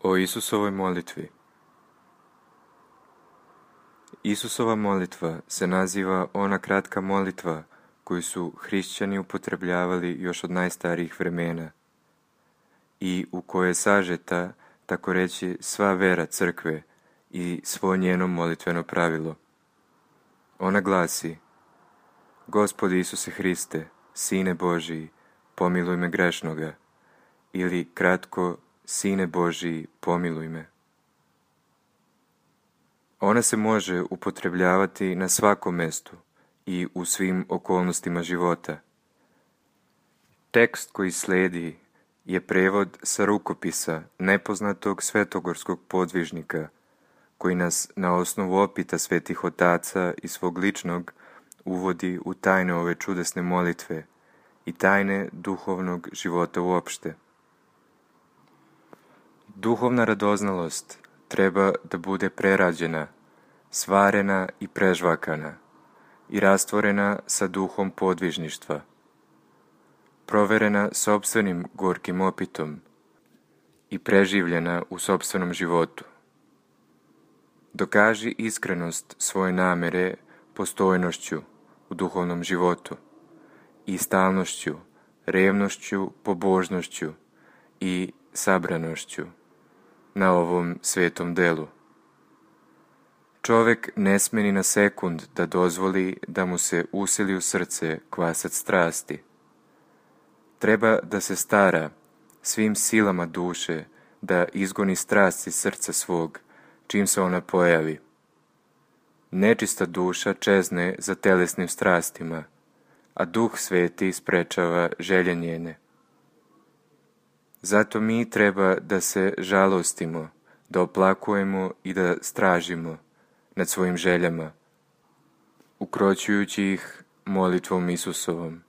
O Isusovoj molitvi. Isusova molitva se naziva ona kratka molitva koju su hrišćani upotrebljavali još od najstarijih vremena i u kojoj je sažeta, tako reći, sva vera crkve i svo njeno molitveno pravilo. Ona glasi: Gospodi Isuse Hriste, Sine Božiji, pomiluj me grešnoga, ili kratko, Sine Božiji, pomiluj me. Ona se može upotrebljavati na svakom mestu i u svim okolnostima života. Tekst koji slijedi je prevod sa rukopisa nepoznatog svetogorskog podvižnika, koji nas na osnovu opita svetih otaca i svog ličnog uvodi u tajne ove čudesne molitve i tajne duhovnog života uopšte. Duhovna radoznalost treba da bude prerađena, svarena i prežvakana i rastvorena sa duhom podvižništva, proverena sopstvenim gorkim opitom i preživljena u sopstvenom životu. Dokaži iskrenost svoje namere postojnošću u duhovnom životu i stalnošću, revnošću, pobožnošću i sabranošću na ovom svetom delu. Čovek ne sme ni na sekund da dozvoli da mu se usili u srce kvasac strasti. Treba da se stara svim silama duše da izgoni strast iz srca svog čim se ona pojavi. Nečista duša čezne za telesnim strastima, a Duh Sveti sprečava želje njene. Zato mi treba da se žalostimo, da oplakujemo i da stražimo nad svojim željama, ukroćujući ih molitvom Isusovom.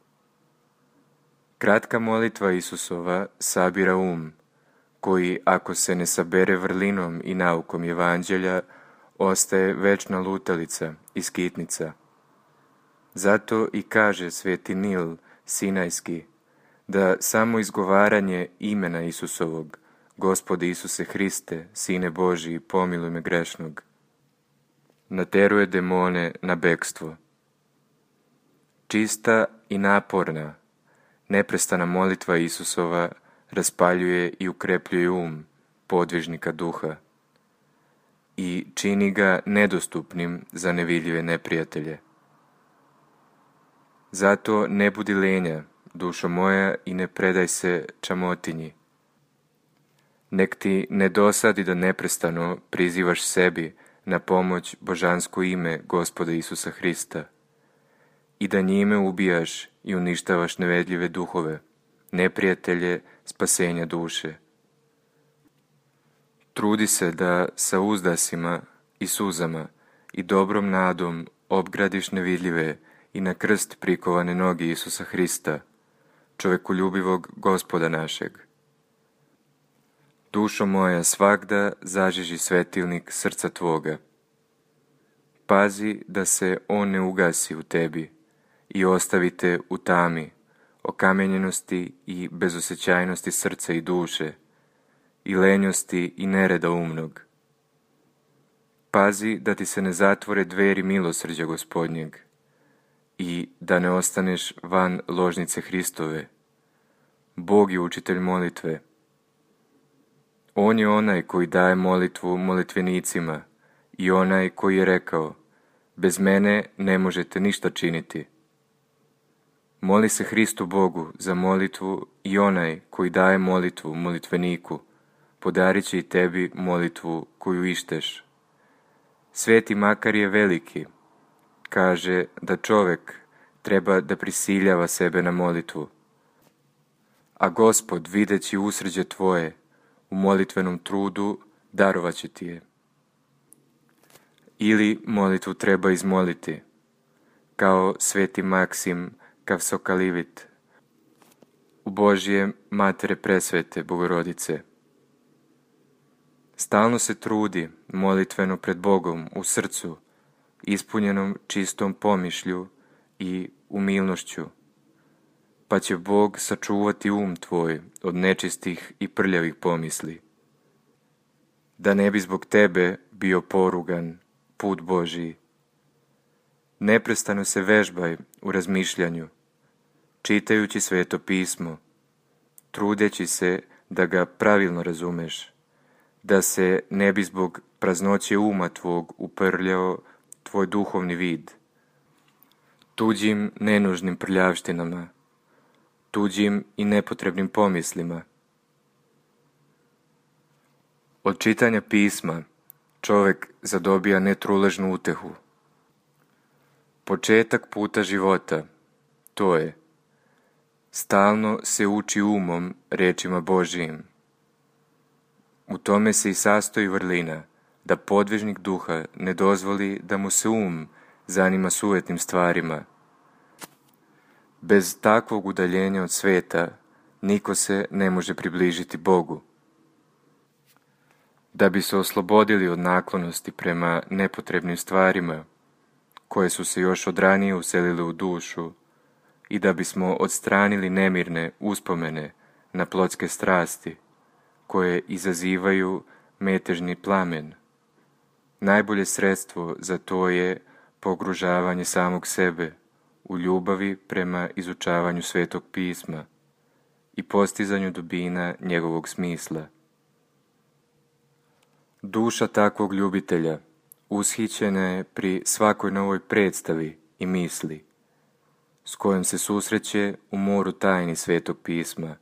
Kratka molitva Isusova sabira koji, ako se ne sabere vrlinom i naukom evanđelja, ostaje večna lutalica i skitnica. Zato i kaže sveti Nil Sinajski da samo izgovaranje imena Isusovog, Gospodi Isuse Hriste, Sine Božiji, pomiluj me grešnog, nateruje demone na bekstvo. Čista i naporna, neprestana molitva Isusova raspaljuje i ukrepljuje podvižnika duha i čini ga nedostupnim za nevidljive neprijatelje. Zato ne budi lenja, dušo moja, i ne predaj se čamotinji. Nek ti ne dosadi da neprestano prizivaš sebi na pomoć božansko ime Gospoda Isusa Hrista i da njime ubijaš i uništavaš nevedljive duhove, neprijatelje spasenja duše. Trudi se da sa uzdasima i suzama i dobrom nadom obgradiš nevidljive i na krst prikovane noge Isusa Hrista, čovekoljubivog Gospoda našeg. Dušo moja, svagda zažiži svetilnik srca tvoga. Pazi da se on ne ugasi u tebi i ostavite u tami, okamenjenosti i bezosećajnosti srca i duše, i lenjosti i nereda umnog. Pazi da ti se ne zatvore dveri milosrđa Gospodnjeg i da ne ostaneš van ložnice Hristove. Bog je učitelj molitve. On je onaj koji daje molitvu molitvenicima i onaj koji je rekao: bez mene ne možete ništa činiti. Moli se Hristu Bogu za molitvu i onaj koji daje molitvu molitveniku, podarit će i tebi molitvu koju išteš. Sveti Makarije Veliki kaže da čovek treba da prisiljava sebe na molitvu, a Gospod, videći usrđe tvoje u molitvenom trudu, darovat će ti je. Ili molitvu treba izmoliti, kao sveti Maksim Kavsokalivit, u Božje Matere Presvete Bogorodice. Stalno se trudi molitveno pred Bogom u srcu, ispunjenom čistom pomišlju i umilnošću, pa će Bog sačuvati tvoj od nečistih i prljavih pomisli, da ne bi zbog tebe bio porugan put Božiji. Neprestano se vežbaj u razmišljanju, čitajući Sveto pismo, trudeći se da ga pravilno razumeš, da se ne bi zbog praznoće uma tvog uprljao tvoj duhovni vid, tuđim nenužnim prljavštinama, tuđim i nepotrebnim pomislima. Od čitanja pisma čovek zadobija netruležnu utehu. Početak puta života, to je, stalno se uči umom rečima Božijim. U tome se i sastoji vrlina, da podvižnik duha ne dozvoli da mu se zanima sujetnim stvarima. Bez takvog udaljenja od sveta niko se ne može približiti Bogu. Da bi se oslobodili od naklonosti prema nepotrebnim stvarima, koje su se još od ranije uselile u dušu, i da bismo odstranili nemirne uspomene na plotske strasti, koje izazivaju metežni plamen. Najbolje sredstvo za to je pogružavanje samog sebe u ljubavi prema izučavanju Svetog pisma i postizanju dubina njegovog smisla. Duša takvog ljubitelja ushićena je pri svakoj novoj predstavi i misli, s kojom se susreće u moru tajni Svetog pisma.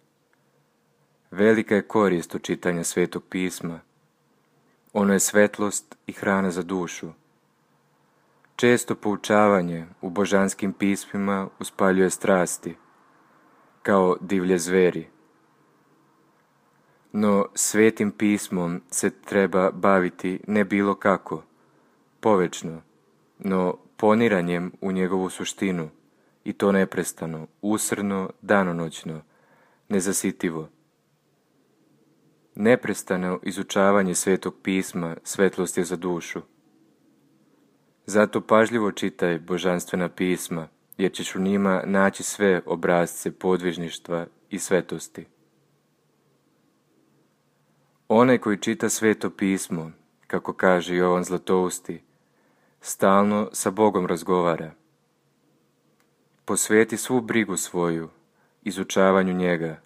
Velika je korist od čitanja Svetog pisma. Ono je svetlost i hrana za dušu. Često poučavanje u božanskim pismima uspaljuje strasti, kao divlje zveri. No Svetim pismom se treba baviti ne bilo kako, povečno, no poniranjem u njegovu suštinu, i to neprestano, usrno, danonoćno, nezasitivo. Neprestano izučavanje Svetog pisma svetlost je za dušu. Zato pažljivo čitaj božanstvena pisma, jer ćeš u njima naći sve obrazce podvižništva i svetosti. Onaj koji čita Sveto pismo, kako kaže Jovan Zlatousti, stalno sa Bogom razgovara. Posveti svu brigu svoju izučavanju njega,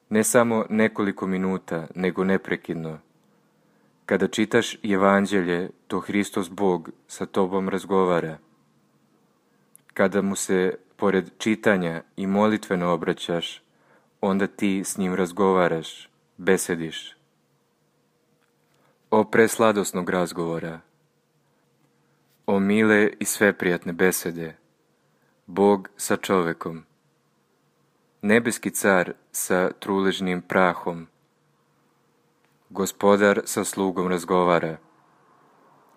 ne samo nekoliko minuta, nego neprekidno. Kada čitaš Evanđelje, to Hristos Bog sa tobom razgovara. Kada mu se, pored čitanja i molitveno obraćaš, onda ti s njim razgovaraš, besediš. O presladosnog razgovora, o mile i sveprijatne besede, Bog sa čovekom, nebeski car sa truležnim prahom, Gospodar sa slugom razgovara.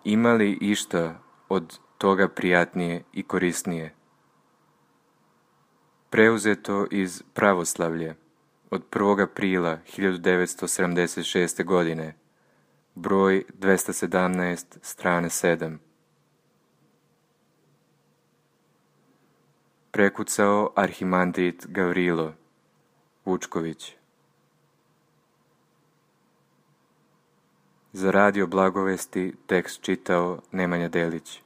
Ima li išta od toga prijatnije i korisnije? Preuzeto iz Pravoslavlje od 1. aprila 1976. godine, broj 217, strane 7. Prekucao arhimandrit Gavrilo Vučković. Za Radio Blagovesti tekst čitao Nemanja Delić.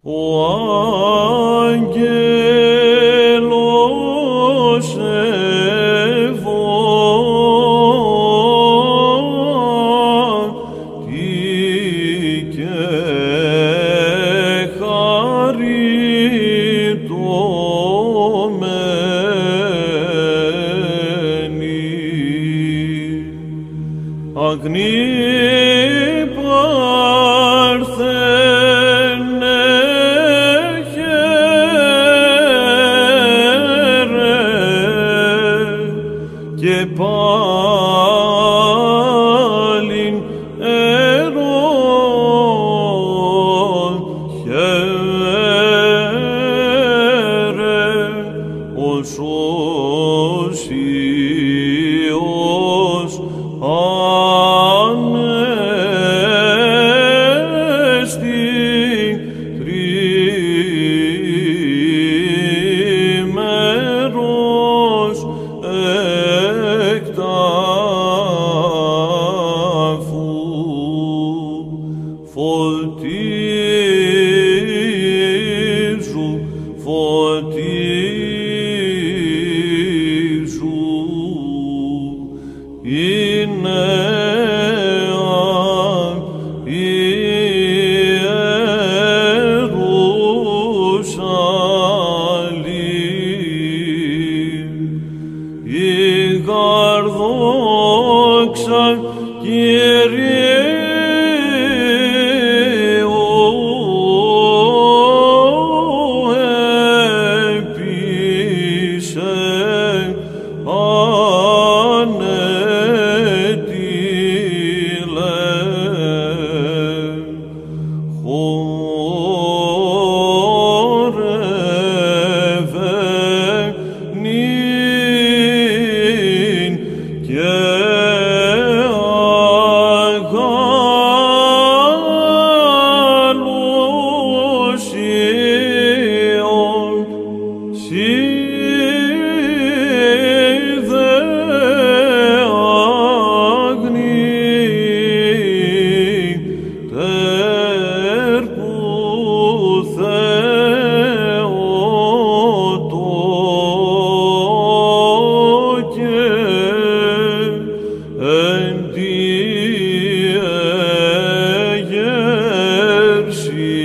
O angeloše von, ti She